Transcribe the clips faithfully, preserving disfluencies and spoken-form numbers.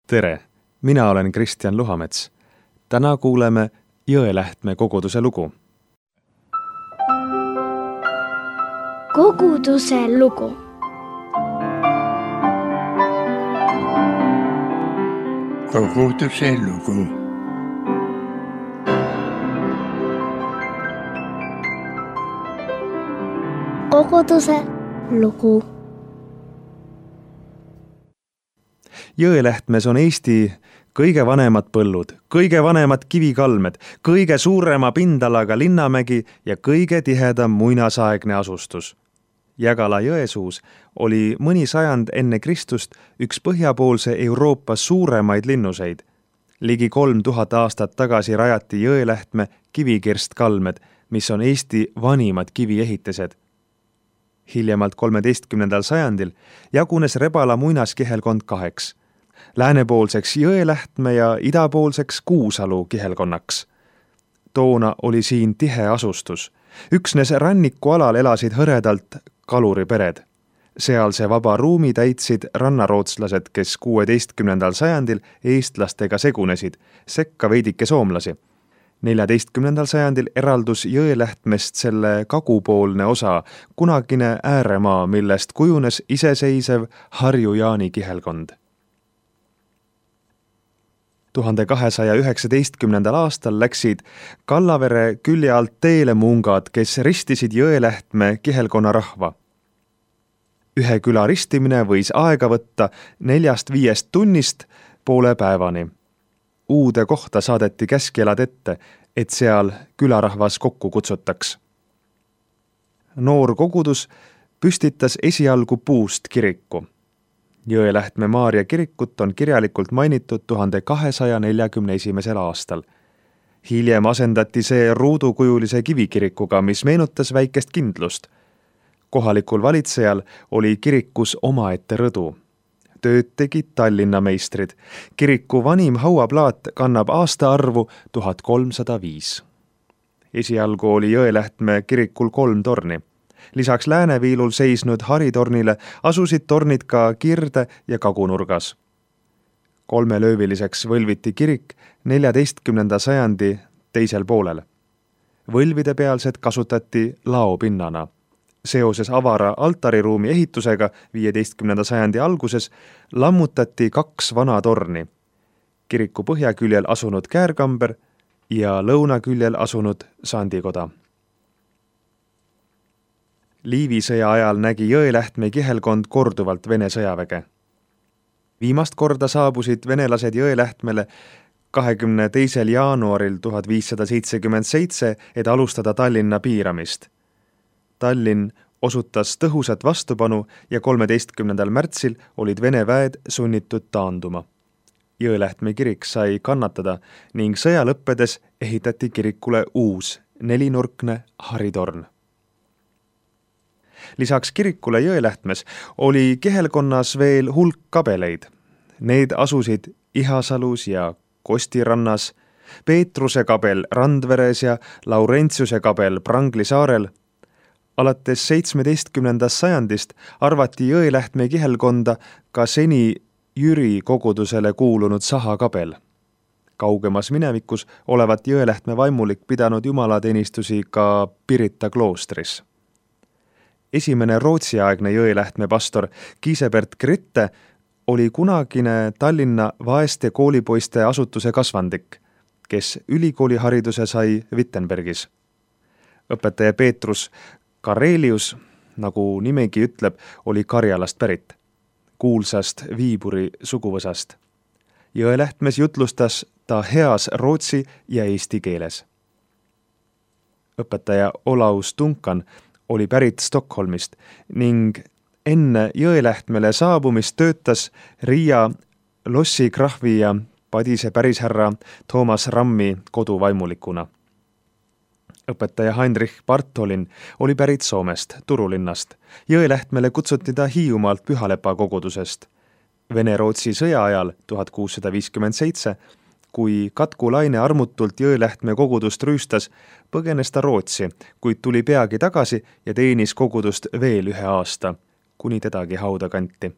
Tere, mina olen Kristjan Luhamets. Täna kuuleme Jõelähtme koguduse lugu. Koguduse lugu. Koguduse lugu. Koguduse lugu. Jõelähtmes on Eesti kõige vanemad põllud, kõige vanemad kivikalmed, kõige suurema pindalaga linnamägi ja kõige tihedam muinasaegne asustus. Jägala jõesuus oli mõni sajand enne Kristust üks põhjapoolse Euroopa suuremaid linnuseid. Ligi kolm tuhat aastat tagasi rajati Jõelähtme kivikirstkalmed, mis on Eesti vanimad kiviehitised. Hiljemalt kolmeteistkümnendal sajandil jagunes Rebala muinaskihelkond kaheks. Läänepoolseks Jõelähtme ja idapoolseks Kuusalu kihelkonnaks. Toona oli siin tihe asustus. Üksnes rannikualal elasid hõredalt kaluripered. Sealse vaba ruumi täitsid rannarootslased, kes kuueteistkümnendal sajandil eestlastega segunesid, sekka veidike soomlasi. neljateistkümnendal sajandil eraldus Jõelähtmest selle kagupoolne osa, kunagine ääremaa, millest kujunes iseseisev Harju-Jaani kihelkond. tuhande kahesaja üheksateistkümnendal aastal läksid Kallavere külje alt teele mungad, kes ristisid Jõelähtme kihelkonna rahva. Ühe küla ristimine võis aega võtta neljast viiest tunnist poole päevani. Uude kohta saadeti käskjelad ette, et seal külarahvas kokku kutsutaks. Noor kogudus püstitas esialgu puust kiriku. Jõelähtme Maarja kirikut on kirjalikult mainitud tuhande kahesaja neljakümne esimesel aastal. Hiljem asendati see ruudukujulise kivikirikuga, mis meenutas väikest kindlust. Kohalikul valitsejal oli kirikus omaette rõdu. Tööd tegid Tallinna meistrid. Kiriku vanim hauaplaat kannab aastaarvu tuhat kolmsada viis. Esialgu oli Jõelähtme kirikul kolm torni. Lisaks lääneviilul seisnud haritornile asusid tornid ka kirde ja kagunurgas. Kolmelööviliseks võlviti kirik neljateistkümnenda sajandi teisel poolel. Võlvide pealsed kasutati laopinnana. Seoses avara altariruumi ehitusega viieteistkümnenda sajandi alguses lammutati kaks vana torni. Kiriku põhjaküljel asunud käärkamber ja lõunaküljel asunud sandikoda. Liivi sõja ajal nägi Jõelähtme kihelkond korduvalt Vene sõjaväge. Viimast korda saabusid venelased Jõelähtmele kahekümne teisel jaanuaril tuhat viissada seitsekümmend seitse, et alustada Tallinna piiramist. Tallinn osutas tõhusat vastupanu ja kolmeteistkümnendal märtsil olid Vene väed sunnitud taanduma. Jõelähtme kirik sai kannatada ning sõja lõppedes ehitati kirikule uus nelinurkne haritorn. Lisaks kirikule Jõelähtmes oli kihelkonnas veel hulk kabeleid. Need asusid Ihasalus ja Kostirannas, Peetruse kabel Randveres ja Laurentsiuse kabel Prangli saarel. Alates seitsmeteistkümnendast sajandist arvati Jõelähtme kihelkonda ka seni Jüri kogudusele kuulunud Saha kabel. Kaugemas minevikus olevat Jõelähtme vaimulik pidanud jumalateenistusi ka Pirita kloostris. Esimene rootsiaegne Jõelähtme pastor Giesebert Gritte oli kunagine Tallinna vaeste koolipoiste asutuse kasvandik, kes ülikoolihariduse sai Wittenbergis. Õpetaja Peetrus Karelius, nagu nimegi ütleb, oli Karjalast pärit, kuulsast Viiburi suguvõsast. Jõelähtmes jutlustas ta heas rootsi ja eesti keeles. Õpetaja Olaus Duncan oli pärit Stockholmist ning enne Jõelähtmele saabumist töötas Riia Lossi krahvi ja Padise pärishärra Toomas Rammi koduvaimulikuna. Õpetaja Heinrich Bartholin oli pärit Soomest, Turulinnast. Jõelähtmele kutsuti ta Hiiumaalt Pühalepa kogudusest. Vene-Rootsi sõja ajal tuhat kuussada viiskümmend seitse, kui Katku Laine armutult Jõelähtme kogudust rüüstas, põgenes ta Rootsi, kuid tuli peagi tagasi ja teenis kogudust veel ühe aasta, kuni tedagi hauda kanti.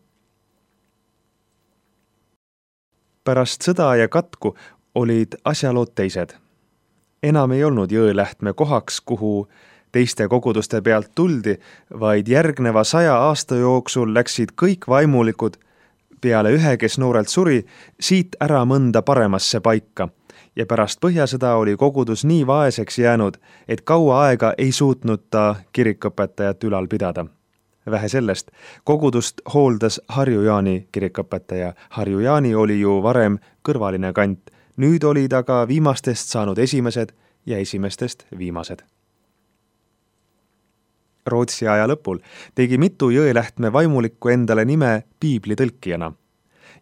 Pärast sõda ja katku olid asjalood teised. Enam ei olnud Jõelähtme kohaks, kuhu teiste koguduste pealt tuldi, vaid järgneva saja aasta jooksul läksid kõik vaimulikud peale ühe, kes noorelt suri, siit ära mõnda paremasse paika ja pärast põhjasõda oli kogudus nii vaeseks jäänud, et kaua aega ei suutnud ta kirikõpetajat ülal pidada. Vähe sellest, kogudust hooldas Harju Jaani kirikõpetaja. Harju Jaani oli ju varem kõrvaline kant, nüüd oli ta ka viimastest saanud esimesed ja esimestest viimased. Rootsi aja lõpul tegi mitu Jõelähtme vaimulikku endale nime piibli tõlkijana.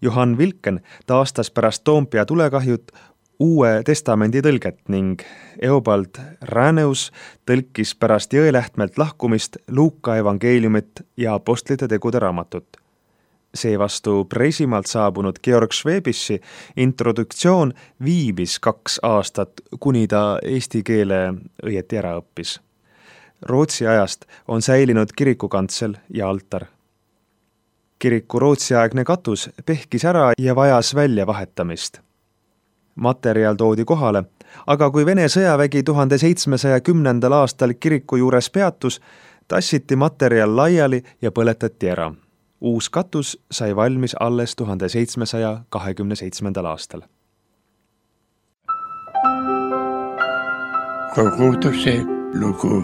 Johan Vilken taastas pärast Toompea tulekahjut Uue testamendi tõlget ning Eobald Räneus tõlkis pärast Jõelähtmelt lahkumist Luuka evangeeliumit ja apostlite tegude raamatut. Seevastu Preisimaalt saabunud Georg Schwebischi introduktsioon viibis kaks aastat, kuni ta eesti keele õieti ära õppis. Rootsi ajast on säilinud kirikukantsel ja altar. Kiriku rootsiaegne katus pehkis ära ja vajas välja vahetamist. Materjal toodi kohale, aga kui Vene sõjavägi tuhande seitsmesaja kümnendal aastal kiriku juures peatus, tassiti materjal laiali ja põletati ära. Uus katus sai valmis alles tuhande seitsmesaja kahekümne seitsmendal aastal. Koguduse lugu.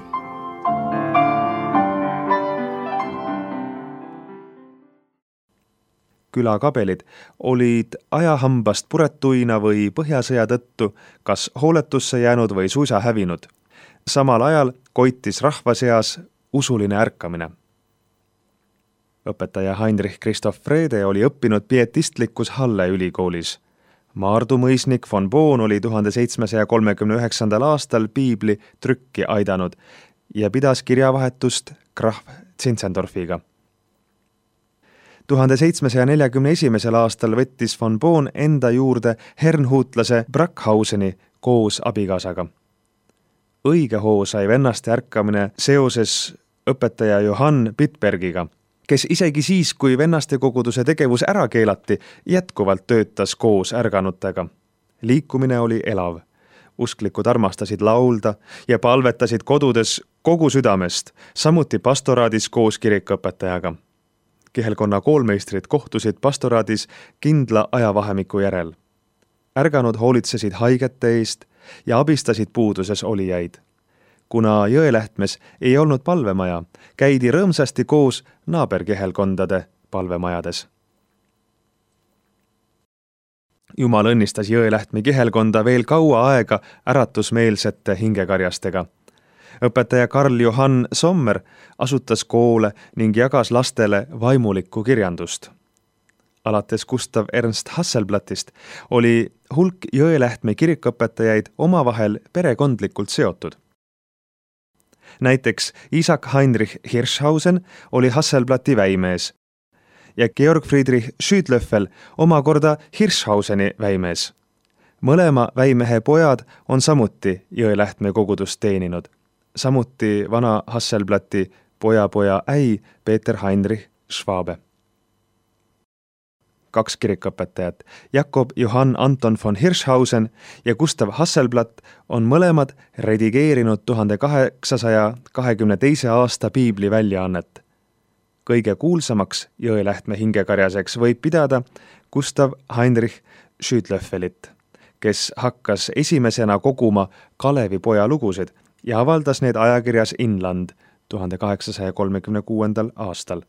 Külakabelid olid ajahambast puretuina või põhjasõja tõttu kas hooletusse jäänud või suisa hävinud. Samal ajal koitis rahva seas usuline ärkamine. Õpetaja Heinrich Christoph Frede oli õppinud pietistlikus Halle ülikoolis. Maardu mõisnik von Boon oli tuhande seitsmesaja kolmekümne üheksandal aastal piibli trükki aidanud ja pidas kirjavahetust Graf Zinzendorfiga. tuhande seitsmesaja neljakümne esimesel aastal võttis von Boon enda juurde hernhuutlase Brackhauseni koos abikaasaga. Õige hoo sai vennaste ärkamine seoses õpetaja Johann Bitbergiga, kes isegi siis, kui vennaste koguduse tegevus ära keelati, jätkuvalt töötas koos ärganutega. Liikumine oli elav. Usklikud armastasid laulda ja palvetasid kodudes kogu südamest, samuti pastoraadis koos kirikõpetajaga. Kihelkonna koolmeistrid kohtusid pastoraadis kindla ajavahemiku järel. Ärganud hoolitsesid haigete eest ja abistasid puuduses olijaid. Kuna Jõelähtmes ei olnud palvemaja, käidi rõõmsasti koos naaberkihelkondade palvemajades. Jumal õnnistas Jõelähtme kihelkonda veel kaua aega äratusmeelsete hingekarjastega. Õpetaja Karl Johann Sommer asutas koole ning jagas lastele vaimulikku kirjandust. Alates Gustav Ernst Hasselblattist oli hulk Jõelähtme kirikõpetajaid omavahel perekondlikult seotud. Näiteks Isaac Heinrich Hirschhausen oli Hasselblatti väimees ja Georg Friedrich Schüdlöffel omakorda Hirschhauseni väimees. Mõlema väimehe pojad on samuti Jõelähtme kogudust teeninud. Samuti vana Hasselblatti pojapoja äi Peter Heinrich Schwabe. Kaks kirikõpetajat, Jakob Johann Anton von Hirschhausen ja Gustav Hasselblatt on mõlemad redigeerinud tuhande kaheksasaja kahekümne teise aasta piibli väljaannet. Kõige kuulsamaks Jõelähtme hingekarjaseks võib pidada Gustav Heinrich Schüdlöffelit, kes hakkas esimesena koguma Kalevi poja lugusid ja avaldas need ajakirjas Inland tuhande kaheksasaja kolmekümne kuuendal aastal.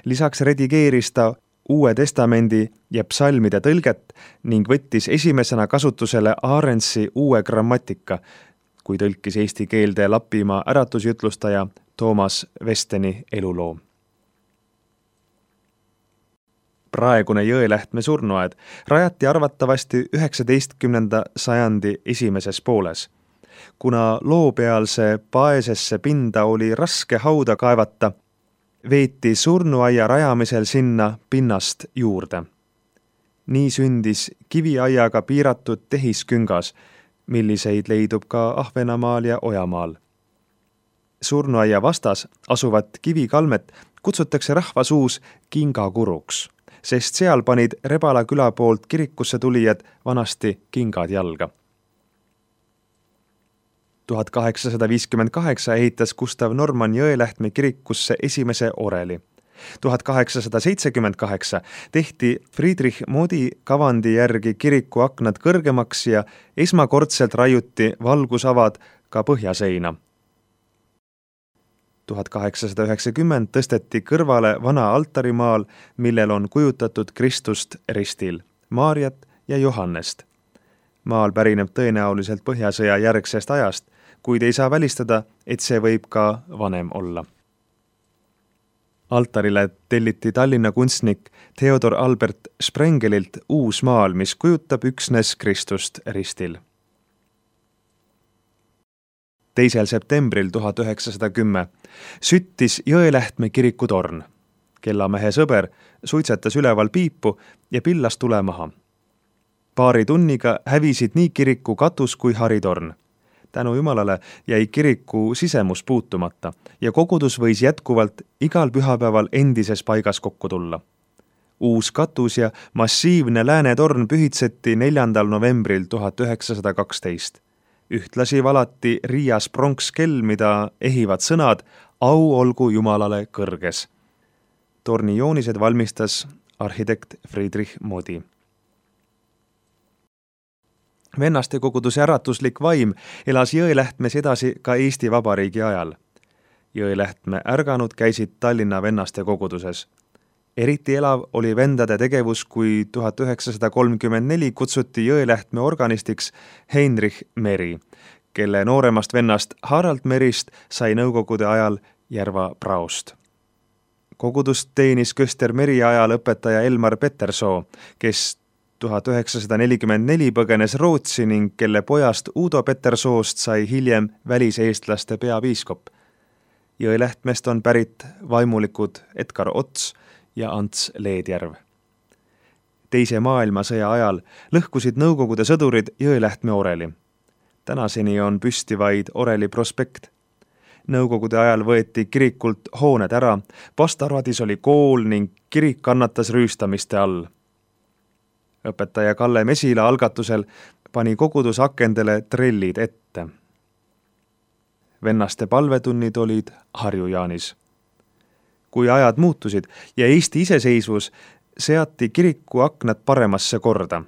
Lisaks redigeeris ta Uue testamendi ja psalmide tõlget ning võttis esimesena kasutusele Aarensi uue grammatika, kui tõlkis eesti keelde Lapimaa äratusjutlustaja Toomas Vesteni eluloo. Praegune Jõelähtme surnuaed rajati arvatavasti üheksateistkümnenda sajandi esimeses pooles. Kuna loopealse paesesse pinda oli raske hauda kaevata, veeti surnuaia rajamisel sinna pinnast juurde. Nii sündis kiviaiaga piiratud tehisküngas, milliseid leidub ka Ahvenamaal ja Ojamaal. Surnuaia vastas asuvat kivikalmet kutsutakse rahvasuus kingakuruks. sest seal panid Rebala küla poolt kirikusse tulijad vanasti kingad jalga. tuhat kaheksasada viiskümmend kaheksa ehitas Gustav Norman Jõelähtme kirikusse esimese oreli. tuhat kaheksasada seitsekümmend kaheksa tehti Friedrich Modi kavandi järgi kiriku aknad kõrgemaks ja esmakordselt raiuti valgusavad ka põhjaseina. tuhat kaheksasada üheksakümmend tõsteti kõrvale vana altarimaal, millel on kujutatud Kristust ristil, Maarjat ja Johannest. Maal pärineb tõenäoliselt põhjasõja järgsest ajast, kuid ei saa välistada, et see võib ka vanem olla. Altarile telliti Tallinna kunstnik Theodor Albert Sprengelilt uus maal, mis kujutab üksnes Kristust ristil. teisel septembril tuhat üheksasada kümme süttis Jõelähtme kiriku torn. Kellamehe sõber suitsetas üleval piipu ja pillas tule maha. Paari tunniga hävisid nii kiriku katus kui haritorn. Tänu Jumalale jäi kiriku sisemus puutumata ja kogudus võis jätkuvalt igal pühapäeval endises paigas kokku tulla. Uus katus ja massiivne läänetorn pühitseti neljandal novembril tuhat üheksasada kaksteist. Ühtlasi valati Riias pronkskell, mida ehivad sõnad au olgu Jumalale kõrges. Torni joonised valmistas arhitekt Friedrich Modi. Vennaste koguduse äratuslik vaim elas Jõelähtmes edasi ka Eesti Vabariigi ajal. Jõelähtme ärganud käisid Tallinna vennaste koguduses. Eriti elav oli vendade tegevus, kui tuhat üheksasada kolmkümmend neli kutsuti Jõelähtme organistiks Heinrich Meri, kelle nooremast vennast Harald Merist sai nõukogude ajal Järva praost. Kogudust teenis Köster Meri ajal õpetaja Elmar Petersoo, kes tuhat üheksasada nelikümmend neli põgenes Rootsi ning kelle pojast Udo Petersoost sai hiljem väliseestlaste peapiiskop. Jõelähtmest on pärit vaimulikud Edgar Ots ja Ants Leedjärv. Teise maailmasõja ajal lõhkusid Nõukogude sõdurid Jõelähtme oreli. Tänaseni on püsti vaid oreli prospekt. Nõukogude ajal võeti kirikult hooned ära, Pastaradis oli kool ning kirik kannatas rüüstamiste all. Õpetaja Kalle Mesila algatusel pani kogudus akendele trellid ette. Vennaste palvetunnid olid Harju-Jaanis. Kui ajad muutusid ja Eesti iseseisvus, seati kiriku aknad paremasse korda.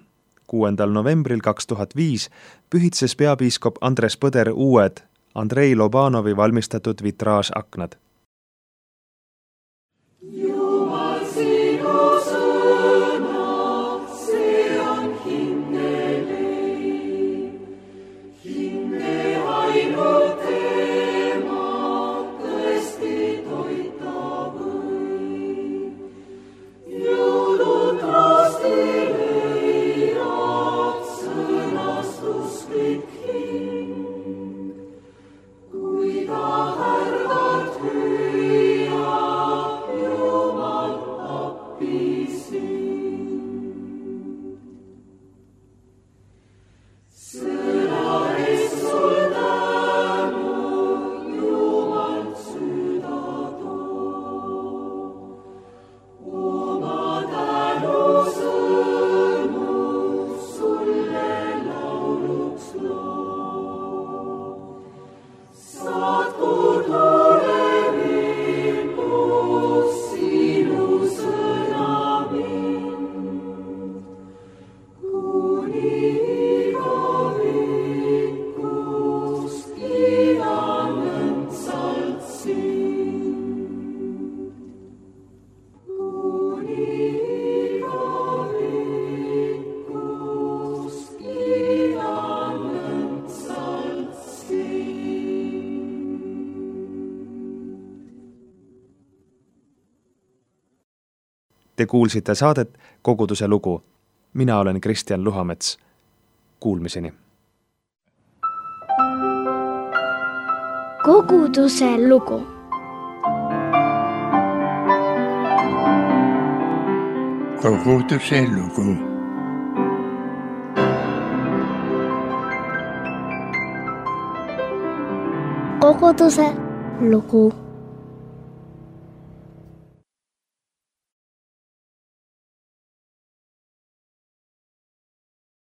kuuendal novembril kaks tuhat viis pühitses peapiiskop Andres Põder uued Andrei Lobanovi valmistatud vitraažaknad. Jumal sinu sõna, see on hingeleib. Hinge ainult tema tõesti toita võib. Jõulud rastile eirab sõnastusklik hing. Kui ta härgad hüüab, Jumal appi sind. Sõna eest sul tänu, Jumal süda too. Oma tänu sõnu sulle lauluks loo. Saatku tule vilmus sinu sõna mind, kuni igavikus kiidan õndsalt sind. Kuni igavikus kiidan õndsalt sind. Te kuulsite saadet Koguduse lugu. Mina olen Kristjan Luhamets. Kuulmiseni. Koguduse lugu. Koguduse lugu. Koguduse lugu.